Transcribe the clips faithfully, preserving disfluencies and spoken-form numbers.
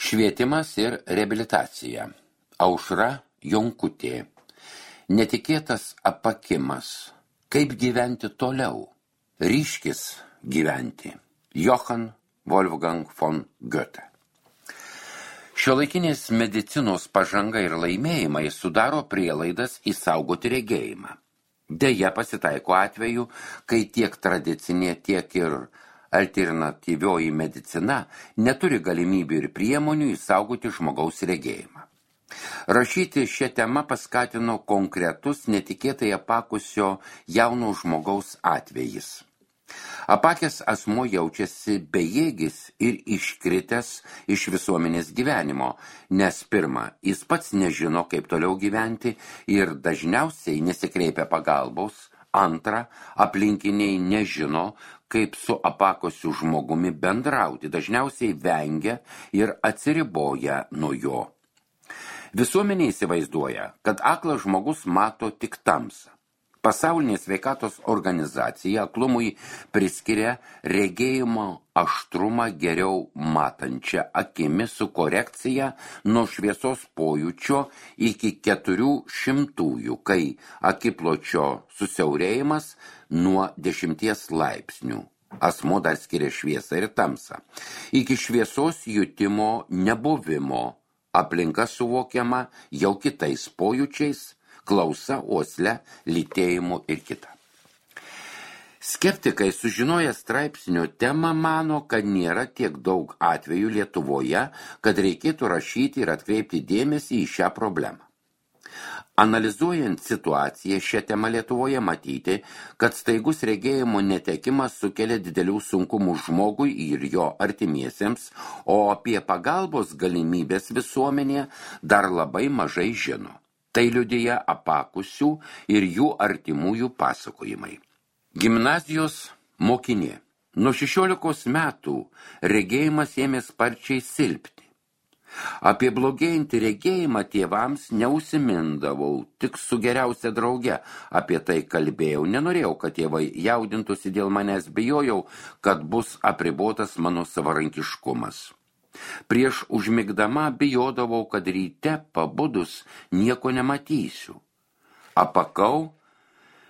Švietimas ir reabilitacija. Aušra Jonkutė. Netikėtas apakimas. Kaip gyventi toliau? Ryškis gyventi. Johann Wolfgang von Goethe. Šiuolaikinės medicinos pažanga ir laimėjimai sudaro prielaidas išsaugoti regėjimą. Deja, pasitaiko atveju, kai tiek tradicinė, tiek ir alternatyvioji medicina neturi galimybių ir priemonių išsaugoti žmogaus regėjimą. Rašyti šią temą paskatino konkretus netikėtai apakusio jauno žmogaus atvejis. Apakęs asmuo jaučiasi bejėgis ir iškritęs iš visuomenės gyvenimo, nes pirma, jis pats nežino, kaip toliau gyventi ir dažniausiai nesikreipia pagalbos, antra, aplinkiniai nežino, kaip su apakusiu žmogumi bendrauti, dažniausiai vengia ir atsiriboja nuo jo. Visuomenė įsivaizduoja, kad aklas žmogus mato tik tamsą. Pasaulinė sveikatos organizacija aklumui priskiria regėjimo aštrumą geriau matančią akimi su korekcija nuo šviesos pojūčio iki keturių šimtųjų, kai akipločio susiaurėjimas nuo dešimties laipsnių. Asmuo dar skiria šviesą ir tamsą. Iki šviesos jutimo nebuvimo aplinka suvokiama jau kitais pojūčiais, klausa, uosle, lytėjimu ir kita. Skeptikai sužinoję straipsnio temą mano, kad nėra tiek daug atvejų Lietuvoje, kad reikėtų rašyti ir atkreipti dėmesį į šią problemą. Analizuojant situaciją šią temą Lietuvoje matyti, kad staigus regėjimo netekimas sukelia didelių sunkumų žmogui ir jo artimiesiems, o apie pagalbos galimybės visuomenėje dar labai mažai žino. Tai liudija apakusių ir jų artimųjų pasakojimai. Gimnazijos mokinė. Nuo šešiolikos metų regėjimas ėmė sparčiai silpti. Apie blogėjantį regėjimą tėvams neužsimindavau, tik su geriausia drauge apie tai kalbėjau. Nenorėjau, kad tėvai jaudintųsi dėl manęs, bijojau, kad bus apribotas mano savarankiškumas. Prieš užmigdama bijodavau, kad ryte pabudus nieko nematysiu. Apakau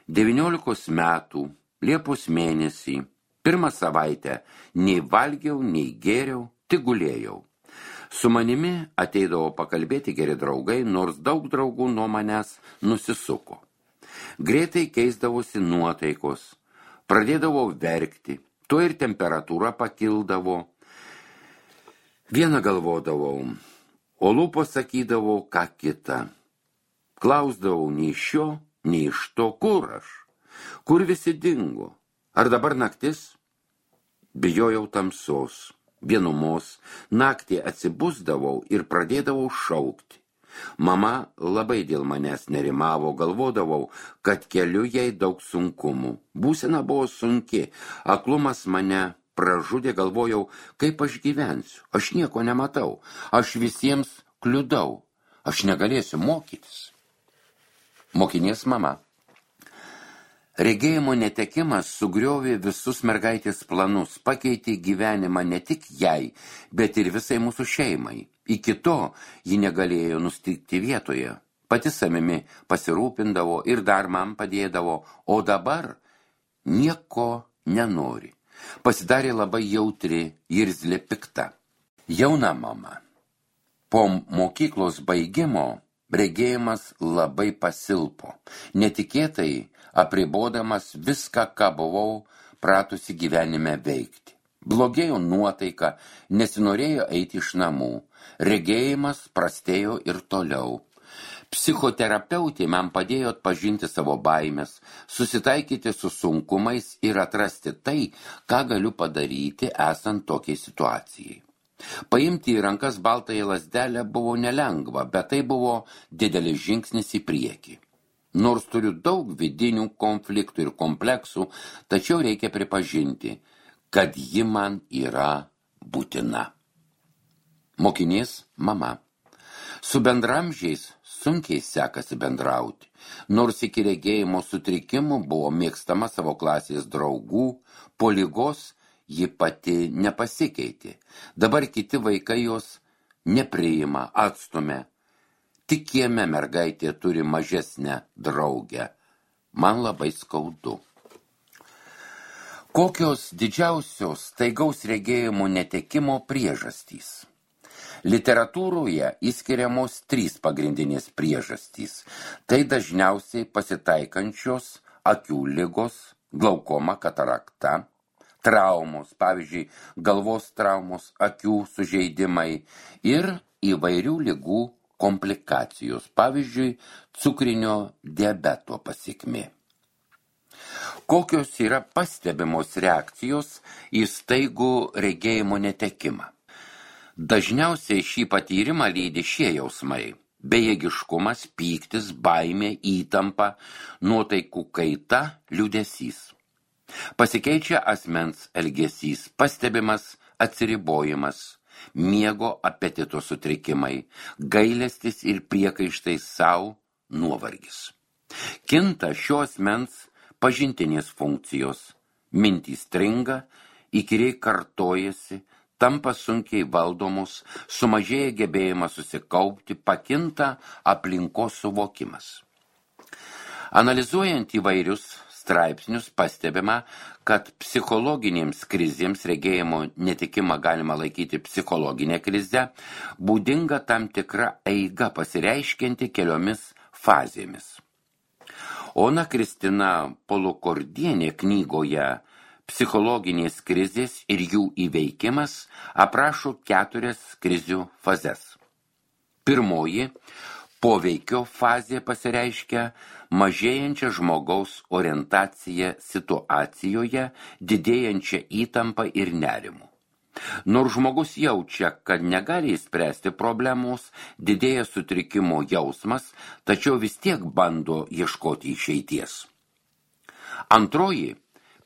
devyniolikos metų, Liepos mėnesį, pirmą savaitę nei valgiau, nei gėriau, tik gulėjau. Su manimi ateidavo pakalbėti geri draugai, nors daug draugų nuo manęs nusisuko. Greitai keisdavosi nuotaikos, pradėdavau verkti, tuo ir temperatūra pakildavo. Vieną galvodavau, o lūpos sakydavau ką kitą. Klausdavau nei šio, nei iš to, kur aš, kur visi dingo. Ar dabar naktis? Bijojau tamsos, vienumos, naktį atsibusdavau ir pradėdavau šaukti. Mama labai dėl manęs nerimavo, galvodavau, kad keliu jai daug sunkumų. Būsena buvo sunki, aklumas mane pražudė, galvojau, kaip aš gyvensiu. Aš nieko nematau, aš visiems kliudau, aš negalėsiu mokytis. Mokinės mama. Regėjimo netekimas sugriovė visus mergaitės planus, pakeitė gyvenimą ne tik jai, bet ir visai mūsų šeimai. Iki to ji negalėjo nustikti vietoje. Pati savimi pasirūpindavo ir dar man padėdavo, o dabar nieko nenori. Pasidarė labai jautri, irzli, pikta. Jauna mama. Po mokyklos baigimo regėjimas labai pasilpo. Netikėtai apribodamas viską, ką buvau pratusi gyvenime veikti. Blogėjo nuotaika, nesinorėjo eiti iš namų. Regėjimas prastėjo ir toliau. Psichoterapeutė man padėjo atpažinti savo baimės, susitaikyti su sunkumais ir atrasti tai, ką galiu padaryti esant tokiai situacijai. Paimti į rankas baltąją lazdelę buvo nelengva, bet tai buvo didelis žingsnis į priekį. Nors turiu daug vidinių konfliktų ir kompleksų, tačiau reikia pripažinti, kad ji man yra būtina. Mokinės mama. Su bendramžiais sunkiai sekasi bendrauti, nors iki regėjimo sutrikimų buvo mėgstama savo klasės draugų, po ligos ji pati nepasikeitė. Dabar kiti vaikai jos nepriima, atstumia. Tik kieme mergaitė turi mažesnę draugę. Man labai skaudu. Kokios didžiausios staigaus regėjimo netekimo priežastys? Literatūroje įskiriamos trys pagrindinės priežastys. Tai dažniausiai pasitaikančios akių ligos, glaukoma, katarakta, traumos, pavyzdžiui, galvos traumos, akių sužeidimai ir įvairių ligų komplikacijos, pavyzdžiui, cukrinio diabeto pasekmė. Kokios yra pastebimos reakcijos į staigų regėjimo netekimą? Dažniausiai šį patyrimą lydi šie jausmai: bejėgiškumas, pyktis, baimė, įtampa, nuotaikų kaita, liūdesys. Pasikeičia asmens elgesys, pastebimas atsiribojimas, miego apetito sutrikimai, gailestis ir priekaištai sau, nuovargis. Kinta šio asmens pažintinės funkcijos, mintys stringa, įkyriai kartojasi, tampa sunkiai valdomos, sumažėja gebėjimas susikaupti, pakinta aplinkos suvokimas. Analizuojant įvairius straipsnius pastebima, kad psichologinėms krizėms regėjimo netikimą galima laikyti psichologinę krizę, būdinga tam tikra eiga pasireiškianti keliomis fazėmis. Ona Kristina Polukordienė knygoje Psichologinės krizės ir jų įveikimas aprašo keturias krizių fazes. Pirmoji poveikio fazė pasireiškia mažėjančią žmogaus orientaciją situacijoje, didėjančią įtampą ir nerimu. Nors žmogus jaučia, kad negali įspręsti problemos, didėja sutrikimo jausmas, tačiau vis tiek bando ieškoti išeities. Antroji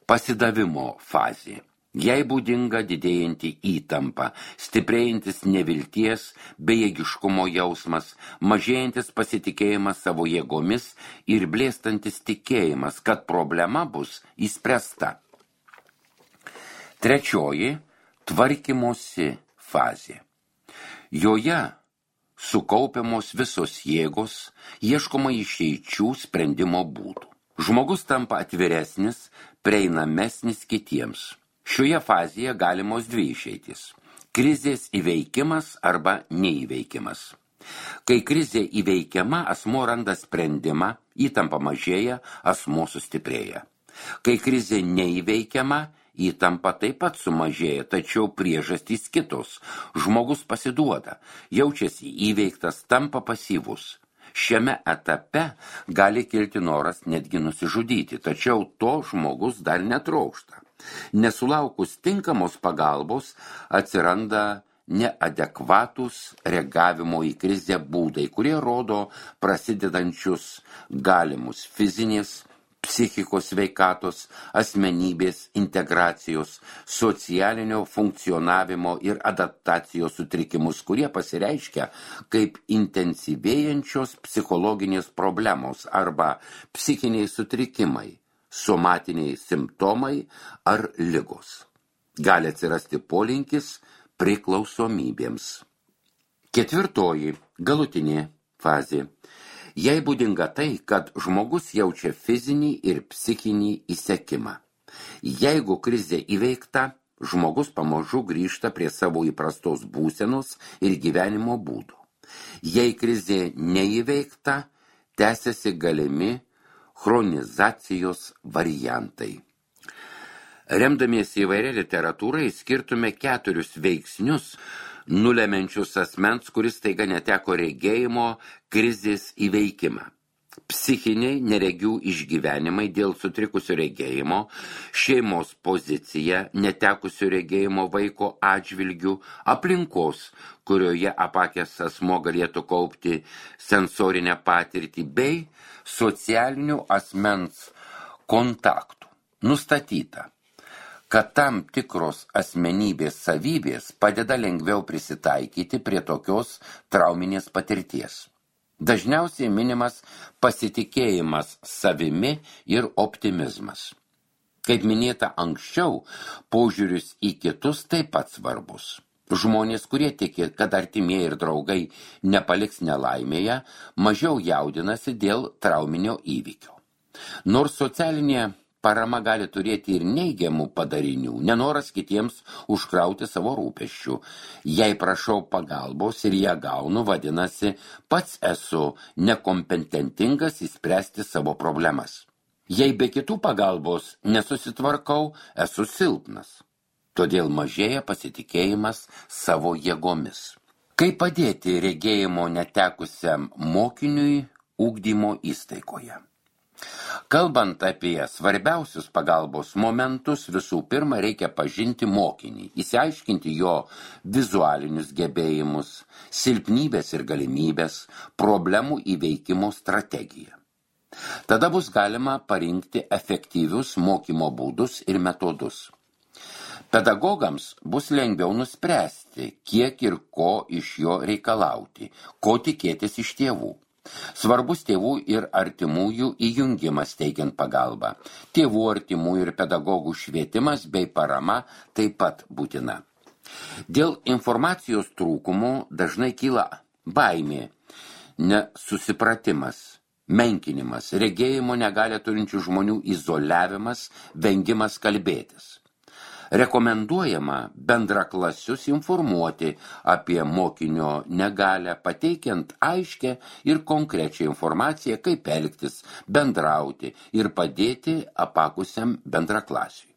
pasidavimo fazė. Jai būdinga didėjanti įtampa, stiprėjantis nevilties, bejėgiškumo jausmas, mažėjantis pasitikėjimas savo jėgomis ir blėstantis tikėjimas, kad problema bus įspręsta. Trečioji – tvarkymosi fazė. Joje sukaupiamos visos jėgos, ieškoma išeičių sprendimo būdų. Žmogus tampa atviresnis, prieinamesnis kitiems. Šioje fazėje galimos dvi išeitys – krizės įveikimas arba neįveikimas. Kai krizė įveikiama, asmuo randa sprendimą, įtampa mažėja, asmuo sustiprėja. Kai krizė neįveikiama, įtampa taip pat sumažėja, tačiau priežastys kitos. Žmogus pasiduoda, jaučiasi įveiktas, tampa pasyvus. Šiame etape gali kilti noras netgi nusižudyti, tačiau to žmogus dar netrokšta. Nesulaukus tinkamos pagalbos atsiranda neadekvatūs reagavimo į krizę būdai, kurie rodo prasidedančius galimus fizinės, psichikos sveikatos, asmenybės integracijos, socialinio funkcionavimo ir adaptacijos sutrikimus, kurie pasireiškia kaip intensyvėjančios psichologinės problemos arba psichiniai sutrikimai, somatiniai simptomai ar ligos. Gali atsirasti polinkis priklausomybėms. Ketvirtoji, galutinė fazė. Jai būdinga tai, kad žmogus jaučia fizinį ir psichinį įsekimą. Jeigu krizė įveikta, žmogus pamažu grįžta prie savo įprastos būsenos ir gyvenimo būdų. Jei krizė neįveikta, tęsiasi galimi chronizacijos variantai. Remdamiesi įvairia literatūrai skirtume keturius veiksnius, nulemiančius asmens, kuris staiga neteko regėjimo, krizės įveikimą. Psichiniai neregių išgyvenimai dėl sutrikusio regėjimo, šeimos pozicija, netekusio regėjimo vaiko atžvilgių, aplinkos, kurioje apakęs asmuo galėtų kaupti sensorinę patirtį, bei socialinių asmens kontaktų. Nustatyta, kad tam tikros asmenybės savybės padeda lengviau prisitaikyti prie tokios trauminės patirties. Dažniausiai minimas pasitikėjimas savimi ir optimizmas. Kaip minėta anksčiau, požiūris į kitus taip pat svarbus. Žmonės, kurie tiki, kad artimieji ir draugai nepaliks nelaimėje, mažiau jaudinasi dėl trauminio įvykio. Nors socialinė parama gali turėti ir neigiamų padarinių, nenoras kitiems užkrauti savo rūpesčių. Jei prašau pagalbos ir ją gaunu, vadinasi, pats esu nekompetentingas įspręsti savo problemas. Jei be kitų pagalbos nesusitvarkau, esu silpnas. Todėl mažėja pasitikėjimas savo jėgomis. Kaip padėti regėjimo netekusiam mokiniui ugdymo įstaigoje? Kalbant apie svarbiausius pagalbos momentus, visų pirma reikia pažinti mokinį, įsiaiškinti jo vizualinius gebėjimus, silpnybės ir galimybės, problemų įveikimo strategiją. Tada bus galima parinkti efektyvius mokymo būdus ir metodus. Pedagogams bus lengviau nuspręsti, kiek ir ko iš jo reikalauti, ko tikėtis iš tėvų. Svarbus tėvų ir artimųjų įjungimas teikiant pagalbą. Tėvų, artimųjų ir pedagogų švietimas bei parama taip pat būtina. Dėl informacijos trūkumo dažnai kyla baimė, nesusipratimas, menkinimas, regėjimo negalią turinčių žmonių izoliavimas, vengimas kalbėtis. Rekomenduojama bendraklasius informuoti apie mokinio negalią, pateikiant aiškę ir konkrečią informaciją, kaip elgtis, bendrauti ir padėti apakusiam bendraklasiui.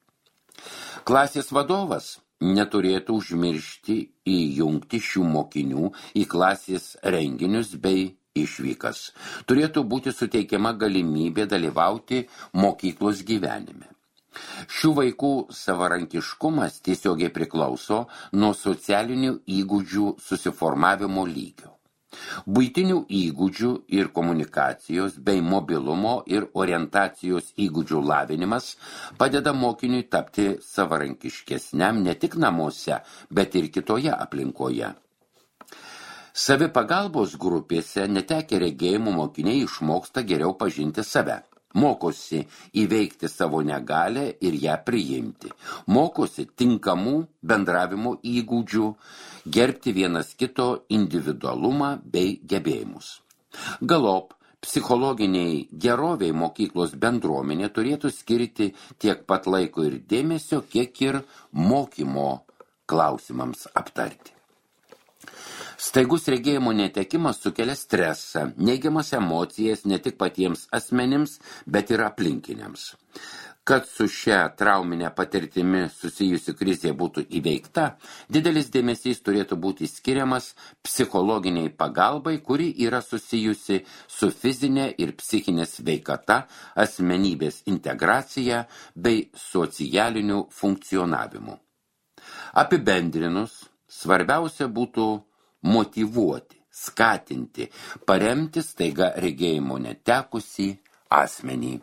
Klasės vadovas neturėtų užmiršti įjungti šių mokinių į klasės renginius bei išvykas. Turėtų būti suteikiama galimybė dalyvauti mokyklos gyvenime. Šių vaikų savarankiškumas tiesiogiai priklauso nuo socialinių įgūdžių susiformavimo lygio. Buitinių įgūdžių ir komunikacijos bei mobilumo ir orientacijos įgūdžių lavinimas padeda mokiniui tapti savarankiškesniam ne tik namuose, bet ir kitoje aplinkoje. Savipagalbos grupėse netekę regėjimų mokiniai išmoksta geriau pažinti save. Mokosi įveikti savo negalę ir ją priimti. Mokosi tinkamų bendravimo įgūdžių, gerbti vienas kito individualumą bei gebėjimus. Galop, psichologiniai geroviai mokyklos bendruomenė turėtų skirti tiek pat laiko ir dėmesio, kiek ir mokymo klausimams aptarti. Staigus regėjimo netekimas sukelia stresą, neigiamas emocijas ne tik patiems asmenims, bet ir aplinkiniams. Kad su šia trauminė patirtimi susijusi krizė būtų įveikta, didelis dėmesys turėtų būti skiriamas psichologiniai pagalbai, kuri yra susijusi su fizinė ir psichinė sveikata, asmenybės integracija bei socialiniu funkcionavimu. Apibendrinus, svarbiausia būtų motyvuoti, skatinti, paremti staiga regėjimo netekusį asmenį.